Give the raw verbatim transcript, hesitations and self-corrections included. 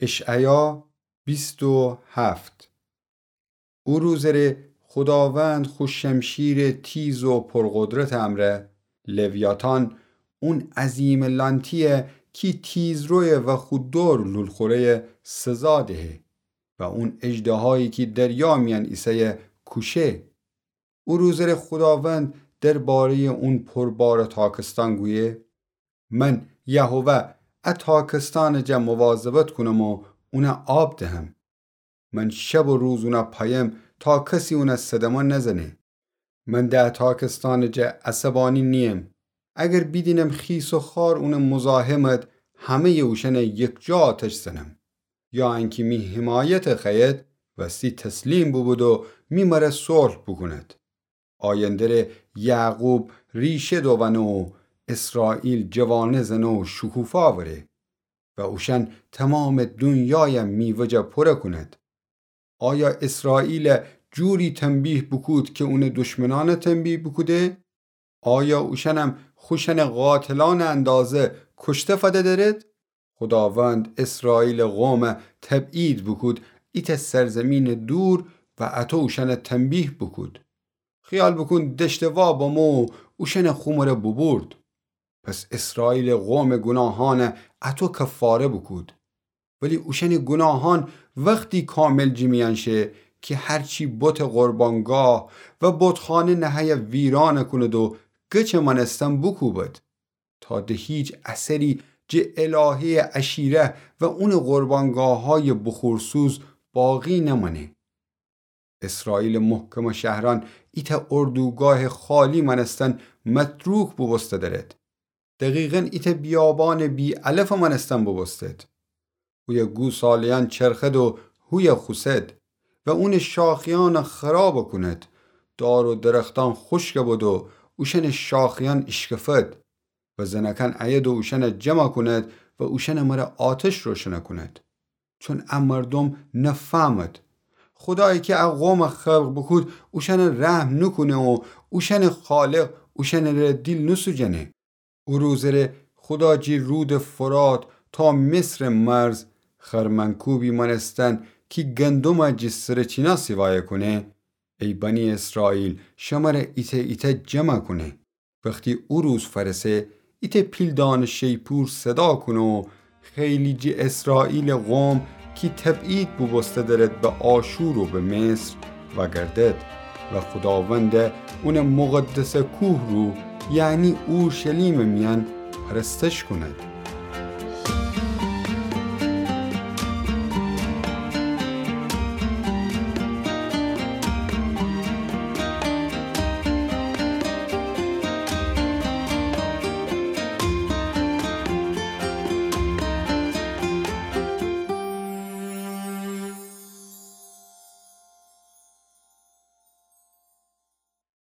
اشعیا بیست و هفت. او روزٚ ره خوداوند خو شمشیرٚ تیز و پرقدرتٚ امرأ، لویاتان، اون عظیمٚ لانتی‌یه کی تیزرویه و خو دور لول‌خوره‌یه سزا دهه و اون اژدهایی کی دریا میأن ایسه‌یه کوشه. او روزٚ ره خوداوند درباره‌یٚ اون پربارٚ تاکستان گویه: من، یهوه، ا تاکستانٚ جا مواظبت کونم و اونه آب دهم. من شب و روز اونه پایم تا کسی اونه صدمه نزنه. من ده ا تاکستانٚ جا عصبانی نییم. اگر بیدینم خیس و خوار اونه مزاحمت، همه‌یٚ اوشأنه یکجا آتش زنم. یا انکی می حمایت خوأید، وستی تسلیم بوبود و می مره صلح بوکوند. آینده ره یعقوب ریشه دووأنه و اسرائیل جوانه زنه و شکوفا وره و اوشأن تمامٚ دونیایه میوه‌جه پوره کوند. آیا اسرائیله جوری تنبیه بوکود کی اونٚ دشمنأنه تنبیه بوکوده؟ آیا اوشأنم خوشأنٚ قاتلأنٚ اندازه کشته فده درد؟ خوداوند اسرائیلٚ قومه تبعید بوکود ایتأ سرزیمینٚ دور و اطو اوشأنه تنبیه بوکود. خیال بوکون دشتٚ وا بمو و اوشأنه خو مره بوبورد. پس اسرائیلٚ قومٚ گوناهأنه اطو کفاره بوکود. ولی اوشأنٚ گوناهأن وختی کامل جٚه میأن شه کی هرچی بتٚ قربانگاه و بتخانه نهه‌یه ویرانه کوند و گچٚ مأنستن بوکوبد، تا د هیچ اثری جٚه الهه‌یٚ عشیره و اونٚ قربانگاهأیٚ بخورسوز باقی نمأنه. اسرائیلٚ محکمٚ شهرأن ایتأ اردوگاهٚ خالی مأنستن متروک بوبوسته درد. دقیقاً ایتأ بیابانٚ بی‌علفٚ مأنستن بوبوستد. هویه گوساله‌یأن چرخد و هویه خوسد و اونٚ شاخه‌یأنه خرابه کوند. دار و درختأن خوشکه بد و اوشأنٚ شاخه‌یأن ایشکفد و زنکأن ایید و اوشأنه جمع کوند و اوشأنٚ مره آتش روشنه کوند. چون ا مردوم نفهمد. خودایی کی ا قومه خلق بوکود اوشأنه رحم نوکونه و اوشأنٚ خالق اوشأنٚ ره دیل نوسوجنه. او روزٚ ره خودا جٚه رودٚ فرات تا مصرٚ مرز خرمنکوبی مأنستن کی گندمه جٚه سرٚ چینا سیوایه کونه، ای بنی اسرائیل، شمره ایتأ ایتأ جمع کونه. وختی او روز فأرسه، ایتأ پیلدأنٚ شیپور صدا کونه و خیلی جٚه اسرائیلٚ قوم کی تبعید بوبوسته درد به آشور و به مصر وأگردد و خوداونده اونٚ مقدسٚ کوه رو، یعنی اورشلیمٚ میأن پرستش کوند.